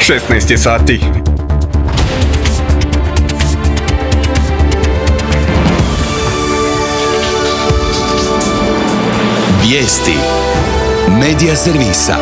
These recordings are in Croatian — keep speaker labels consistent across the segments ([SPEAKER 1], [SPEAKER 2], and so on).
[SPEAKER 1] 16 je sati.
[SPEAKER 2] Vijesti Medija servisa.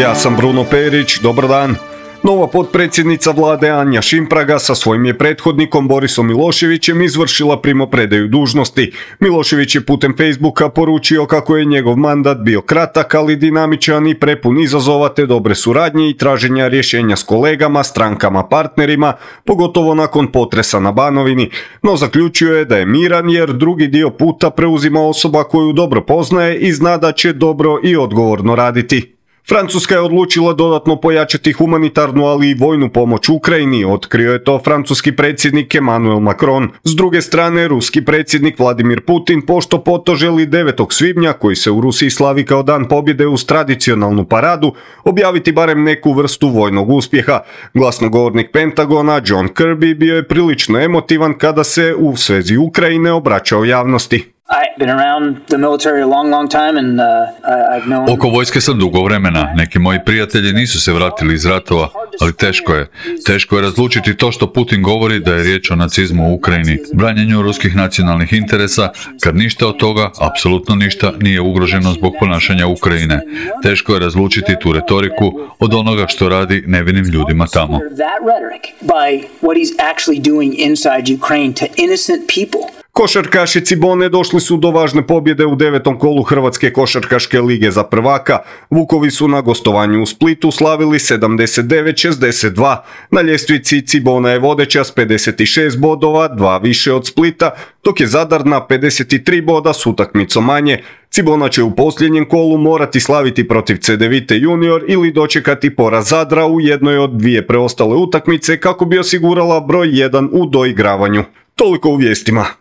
[SPEAKER 1] Ja sam Bruno Perić, dobar dan. Nova potpredsjednica vlade Anja Šimpraga sa svojim je prethodnikom Borisom Miloševićem izvršila primopredaju dužnosti. Milošević je putem Facebooka poručio kako je njegov mandat bio kratak, ali dinamičan i prepun izazova te dobre suradnje i traženja rješenja s kolegama, strankama, partnerima, pogotovo nakon potresa na Banovini, no zaključio je da je miran jer drugi dio puta preuzima osoba koju dobro poznaje i zna da će dobro i odgovorno raditi. Francuska je odlučila dodatno pojačati humanitarnu, ali i vojnu pomoć Ukrajini, otkrio je to francuski predsjednik Emmanuel Macron. S druge strane, ruski predsjednik Vladimir Putin pošto poto želi 9. svibnja, koji se u Rusiji slavi kao dan pobjede uz tradicionalnu paradu, objaviti barem neku vrstu vojnog uspjeha. Glasnogovornik Pentagona John Kirby bio je prilično emotivan kada se u svezi Ukrajine obraćao javnosti.
[SPEAKER 3] Oko vojske sam dugo vremena. Neki moji prijatelji nisu se vratili iz ratova, ali teško je razlučiti to što Putin govori da je riječ o nacizmu u Ukrajini, branjenju ruskih nacionalnih interesa, kad ništa od toga, apsolutno ništa, nije ugroženo zbog ponašanja Ukrajine. Teško je razlučiti tu retoriku od onoga što radi nevinim ljudima tamo.
[SPEAKER 1] Košarkaši Cibone došli su do važne pobjede u 9. kolu Hrvatske košarkaške lige za prvaka. Vukovi su na gostovanju u Splitu slavili 79-62. Na ljestvici Cibona je vodeća s 56 bodova, 2 više od Splita, dok je Zadar na 53 boda s utakmicom manje. Cibona će u posljednjem kolu morati slaviti protiv Cedevite junior ili dočekati poraz Zadra u jednoj od dvije preostale utakmice kako bi osigurala broj 1 u doigravanju. Toliko u vijestima.